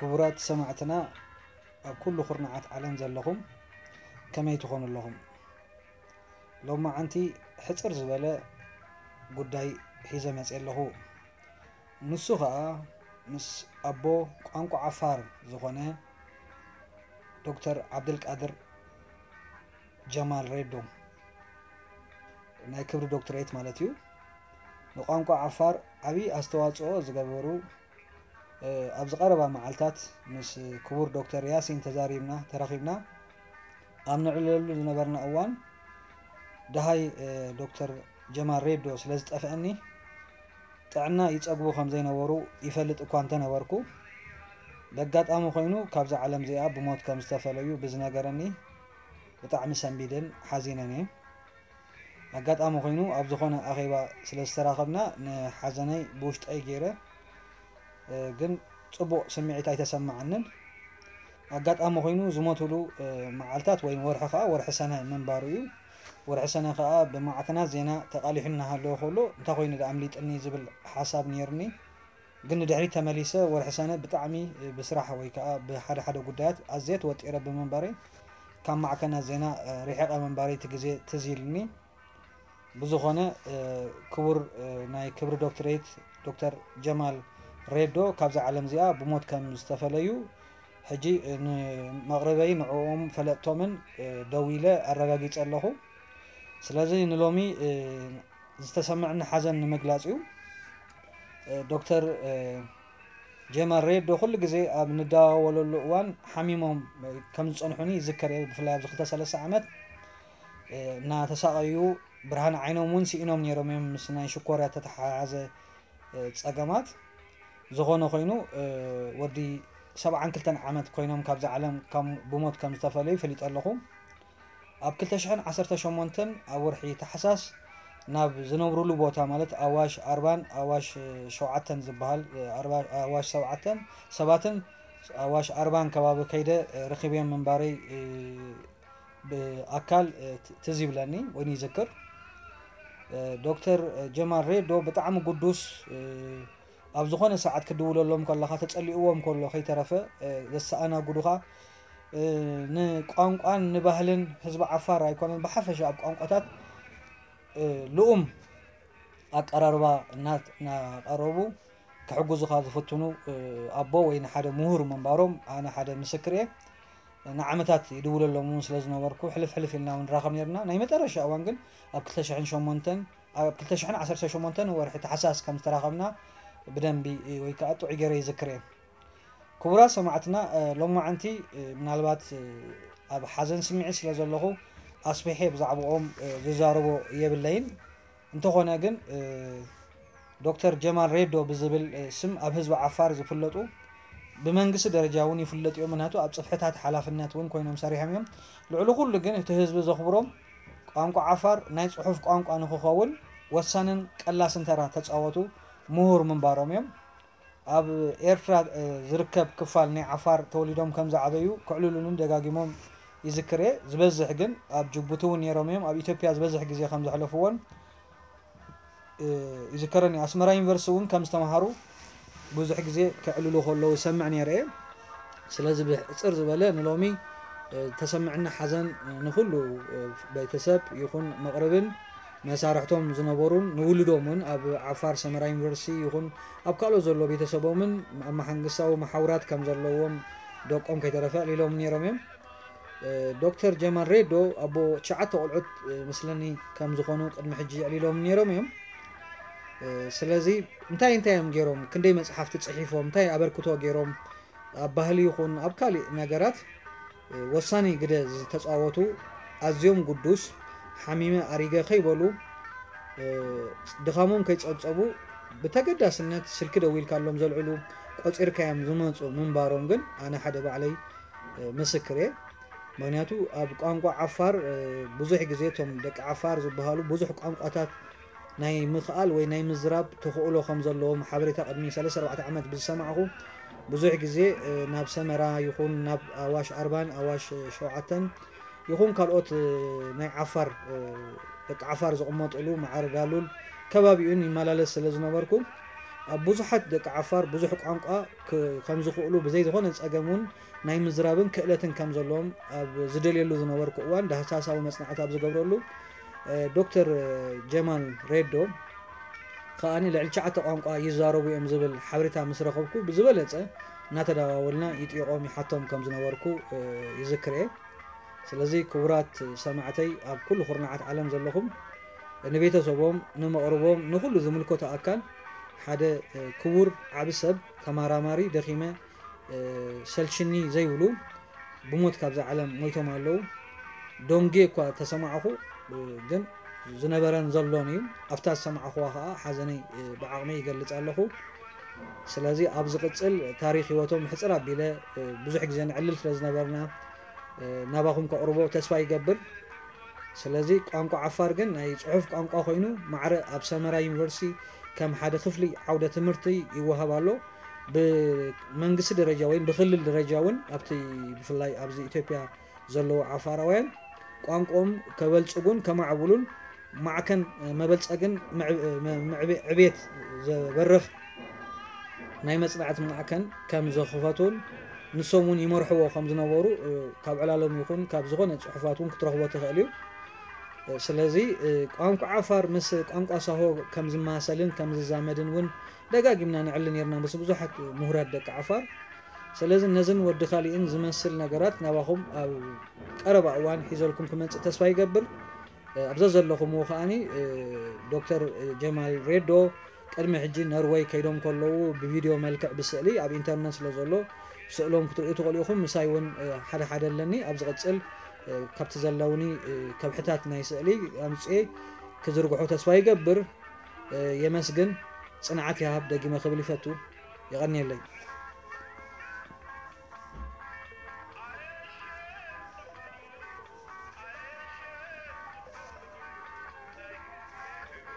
ክቡራት ሰማዕትና ኣብ ኩሉ ኩርናዓት ዓለም ዘለኹም ከመይ ትኾኑ ኣለኹም? ሎማዓንቲ ሕጽር ዝበለ ጉዳይ ሒዘ መጽየ ኣለኹ። ንሱ ኸኣ ምስ ኣቦ ቋንቋ ዓፋር ዝኾነ ዶክተር ዓብደልቃድር ጀማል ሬዶ ናይ ክብሪ ዶክትሬት ማለት እዩ። ንቋንቋ ዓፋር ዓብዪ ኣስተዋፅኦ ዝገበሩ ኣብዚ ቀረባ መዓልታት ምስ ክቡር ዶክተር ያሲን ተዛሪብና ተራኺብና ኣብ ንዕለሉ ዝነበርና እዋን ደሃይ ዶክተር ጀማል ሬዶ ስለ ዝጠፍአኒ ጥዕና ይፀግቡ ከም ዘይነበሩ ይፈልጥ እኳ እንተነበርኩ በጋጣሚ ኮይኑ ካብዛ ዓለም እዚኣ ብሞት ከም ዝተፈለዩ ብዝነገረኒ ብጣዕሚ ሰንቢደን ሓዚነን እየ። ኣጋጣሚ ኮይኑ ኣብ ዝኾነ ኣኼባ ስለ ዝተራኸብና ንሓዘነይ ብውሽጠይ ገይረ ግን ፅቡቕ ስምዒት ኣይተሰማዓንን። ኣጋጣሚ ኮይኑ ዝሞትሉ መዓልታት ወይ ወርሒ ከዓ ወርሒ ሰነ ምንባሩ እዩ። ወርሒ ሰነ ከዓ ብማዕከናት ዜና ተቓሊሑ እናሃለወ ከሎ እንታይ ኮይኑ ደኣ ኣምሊጥኒ ዝብል ሓሳብ ነይርኒ። ግን ንድሕሪት ተመሊሰ ወርሒ ሰነ ብጣዕሚ ብስራሕ ወይ ከዓ ብሓደ ሓደ ጉዳያት ኣዝየ ተወጢረ ብምንባረይ ካብ ማዕከናት ዜና ርሒቐ ምንባረይ እቲ ግዜ ትዝ ኢልኒ። ብዝኾነ ክቡር ናይ ክብሪ ዶክትሬት ዶክተር ጀማል ሬዶ ካብዛ ዓለም እዚኣ ብሞት ከም ዝተፈለዩ ሕጂ ንመቕርበይ ንዕኦም ፈለጥቶምን ደዊለ ኣረጋጊጸ ኣለኹ። ስለዚ ንሎሚ ዝተሰምዐኒ ሓዘን ንምግላጽ እዩ። ዶክተር ጀማል ሬዶ ኩሉ ግዜ ኣብ ንደዋወለሉ እዋን ሓሚሞም ከም ዝጸንሑኒ ይዝከር እየ። ብፍላይ ኣብዚ ክልተ ሰለስተ ዓመት እናተሳቐዩ ብርሃን ዓይኖም እውን ስኢኖም ነይሮም እዮም ምስ ናይ ሽኮርያ ተተሓሓዘ ፀገማት። ዝኾነ ኮይኑ ወዲ ሰብዓን ክልተን ዓመት ኮይኖም ካብዛ ዓለም ብሞት ከም ዝተፈለዩ ፈሊጠ ኣለኹ። ኣብ ክልተ ሽሕን ዓሰርተ ሸሞንተን ኣብ ወርሒ ታሕሳስ ናብ ዝነብሩሉ ቦታ ማለት ኣዋሽ ኣርባን ኣዋሽ ሸውዓተን ዝበሃል ኣዋሽ ሰብዓተን ሰባትን ኣዋሽ ኣርባን ከባቢ ከይደ ረኺበዮም ምንባረይ ብኣካል ትዝ ይብለኒ ወይ ይዝክር። ዶክተር ጀማል ሬዶ ብጣዕሚ ጉዱስ ኣብ ዝኾነ ሰዓት ክድውለሎም ከለኻ ተጸሊእዎም ከሎ ከይተረፈ ዘሰኣናግዱኻ ንቋንቋን ንባህልን ህዝቢ ዓፋር ኣይኮነን ብሓፈሻ ኣብ ቋንቋታት ልኡም ኣቀራርባ እናቐረቡ ክሕግዙኻ ዝፍትኑ ኣቦ ወይ ንሓደ ምሁር ምንባሮም ኣነ ሓደ ምስክር እየ። ንዓመታት ይድውለሎም እውን ስለ ዝነበርኩ ሕልፍ ሕልፍ ኢልና እውን ንራኸብ ነርና። ናይ መጠረሻ እዋን ግን ኣብ ክልተ ሽሕን ሸሞንተን ኣብ ክልተ ሽሕን ዓሰርተ ሸሞንተን ወርሒ ታሕሳስ ከም ዝተራኸብና ብደንቢ ወይ ከዓ ጥዑይ ገይረ ይዝክር እየ። ክቡራት ሰማዕትና ሎማዓንቲ ምናልባት ኣብ ሓዘን ስምዒት ስለ ዘለኹ ኣስፊሐ ብዛዕባኦም ዝዛረቦ የብለይን። እንተኾነ ግን ዶክተር ጀማል ሬዶ ብዝብል ስም ኣብ ህዝቢ ዓፋር ዝፍለጡ ብመንግስቲ ደረጃ እውን ይፍለጡ እዮም። ምክንያቱ ኣብ ፅፍሕታት ሓላፍነት እውን ኮይኖም ሰሪሖም እዮም። ልዕሊ ኩሉ ግን እቲ ህዝቢ ዘኽብሮም ቋንቋ ዓፋር ናይ ፅሑፍ ቋንቋ ንክኸውን ወሳንን ቀላስን ተራ ተፃወቱ ምሁር ምንባሮም እዮም። ኣብ ኤርትራ ዝርከብ ክፋል ናይ ዓፋር ተወሊዶም ከም ዝዓበዩ ክዕልሉንን ደጋጊሞም ይዝክር እየ። ዝበዝሕ ግን ኣብ ጅቡቲ እውን ነይሮም እዮም። ኣብ ኢትዮጵያ ዝበዝሕ ግዜ ከም ዘሕለፍዎን ይዝከረኒ። ኣስመራ ዩኒቨርሲቲ እውን ከም ዝተምሃሩ ብዙሕ ግዜ ክዕልሉ ከለዉ ይሰምዕ ነይረ እየ። ስለዚ ብሕፅር ዝበለ ንሎሚ ተሰምዕኒ ሓዘን ንኹሉ ቤተሰብ ይኹን መቕርብን መሳርሕቶም ዝነበሩን ንውልዶም እውን ኣብ ዓፋር ሰመራ ዩኒቨርሲቲ ይኹን ኣብ ካልኦት ዘሎ ቤተሰቦምን ኣብ መሓንግሳዊ መሓውራት ከም ዘለዎም ደቆም ከይተረፈ ኣዕሊሎም ነይሮም እዮም። ዶክተር ጀማል ሬዶ ኣቦ ትሽዓተ ቆልዑት ምስለኒ ከም ዝኾኑ ቅድሚ ሕጂ ኣዕሊሎም ነይሮም እዮም። ስለዚ እንታይ እንታይ እዮም ገይሮም? ክንደይ መፅሓፍቲ ፅሒፎም? እንታይ ኣበርክቶ ገይሮም? ኣብ ባህሊ ይኹን ኣብ ካሊእ ነገራት ወሳኒ ግደ ዝተፃወቱ ኣዝዮም ጉዱስ ሓሚመ ኣሪገ ከይበሉ ድኻሞም ከይፀብፀቡ ብተገዳስነት ስልኪ ደዊልካሎም ዘልዕሉ ቆፂርካዮም ዝመፁ ምንባሮም ግን ኣነ ሓደ ባዕለይ ምስክር እየ። ምክንያቱ ኣብ ቋንቋ ዓፋር ብዙሕ ግዜ እቶም ደቂ ዓፋር ዝበሃሉ ብዙሕ ቋንቋታት ናይ ምኽኣል ወይ ናይ ምዝራብ ተኽእሎ ከም ዘለዎም ሓበሬታ ቅድሚ ሰለስተ ኣርባዕተ ዓመት ብዝሰማዕኹ ብዙሕ ግዜ ናብ ሰመራ ይኹን ናብ ኣዋሽ ኣርባን ኣዋሽ ሸውዓተን ይኹን ካልኦት ናይ ዓፋር ደቂ ዓፋር ዝቕመጥሉ ማዕረ ዳሉል ከባቢኡን ይመላለስ ስለ ዝነበርኩ ኣብ ብዙሓት ደቂ ዓፋር ብዙሕ ቋንቋ ክ- ከም ዝኽእሉ ብዘይ ዝኾነ ጸገም እውን ናይ ምዝራብን ክእለትን ከም ዘለዎም ኣብ ዝደልየሉ ዝነበርኩ እዋን ዳህሳሳዊ መጽናዕቲ ኣብ ዝገብረሉ እ፣ ዶክተር ጀማል ሬዶ ከኣ ልዕሊ ትሽዓተ ቋንቋ ይዛረቡ እዮም ዝብል ሓበሬታ ምስ ረኸብኩ ብዝበለጸ እናተደዋወልና ይጥይቖም ይሓቶም ከም ዝነበርኩ እ፣ ይዝክር እየ። ስለዚ ክቡራት ሰማዕተይ ኣብ ኩሉ ኩርናዓት ዓለም ዘለኹም ንቤተሰቦም፣ ንመቕርቦም፣ ንኹሉ ዝምልከቶ ኣካል ሓደ እ፣ ክቡር ዓቢ ሰብ ተመራማሪ ደኺመ እ፣ ሰልችኒ ዘይብሉ ብሞት ካብዛ ዓለም ሞይቶም ኣለዉ። ዶንጌ እኳ ተሰማዕኹ እ፣ ግን ዝነበረን ዘሎን እዩ። ኣብታ ዝሰማዕኹዋ ከዓ ሓዘነይ እ፣ ብዓቕመይ ይገልጽ ኣለኹ። ስለዚ ኣብ ዝቕጽል ታሪኽ ህይወቶም ሕጽር ኣቢለ እ፣ ብዙሕ ግዜ ንዕልል ስለ ዝነበርና እ፣ ናባኹም ከቕርቦ ተስፋ ይገብር። ስለዚ ቋንቋ ዓፋር ግን ናይ ጽሑፍ ቋንቋ ኮይኑ ማዕረ ኣብ ሰመራ ዩኒቨርሲቲ ከም ሓደ ክፍሊ ዓውደ ትምህርቲ ይወሃብ ኣሎ። ብመንግስቲ ደረጃ ወይም ብክልል ደረጃ እውን ኣብቲ ብፍላይ ኣብዚ ኢትዮጵያ ዘለዉ ዓፋራውያን ቋንቋኦም ከበልጽጉን ከማዕብሉን ማዕከን መበልጸግን ምዕብ- ምዕብ- ዕቤት ዘበርኽ ናይ መጽናዕቲ ማዕከን ከም ዘኽፈቱን ንሶም እውን ይመርሕዎ ከም ዝነበሩ እ፣ ካብ ዕላሎም ይኹን ካብ ዝኾነ ጽሑፋት እውን ክትረኽቦ ትኽእል እዩ። እ፣ ስለዚ እ፣ ቋንቋ ዓፋር ምስ ቋንቋ ሳሆ ከም ዝመሳሰልን ከም ዝዛመድን እውን ደጋጊምና ንዕሊ ነርና ምስ ብዙሓት ምሁራት ደቂ ዓፋር። ስለዚ ነዝን ወዲ ካሊእን ዝመስል ነገራት ናባኹም ኣብ ቀረባ እዋን ሒዘልኩም ክመጽእ ተስፋ ይገብር። እ፣ ኣብዛ ዘለኹምዎ ከኣኒ እ፣ ዶክተር ጀማል ሬዶ ቅድሚ ሕጂ ነርወይ ከይዶም ከለዉ ብቪድዮ መልክዕ ብስእሊ ኣብ ኢንተርነት ስለ ዘሎ ስእሎም ክትርእዩ ትኽእሉ ኢኹም። ምሳይ እውን እ፣ ሓደ ሓደ ኣለኒ። ኣብ ዝቕጽል እ፣ ካብቲ ዘለውኒ እ፣ ከብሕታት ናይ ስእሊ ኣምጽኤ ክዝርግሖ ተስፋ ይገብር። እ፣ የመስግን። ጽንዓት ይሃብ ደጊመ ክብል ይፈቱ። የቐንየለይ።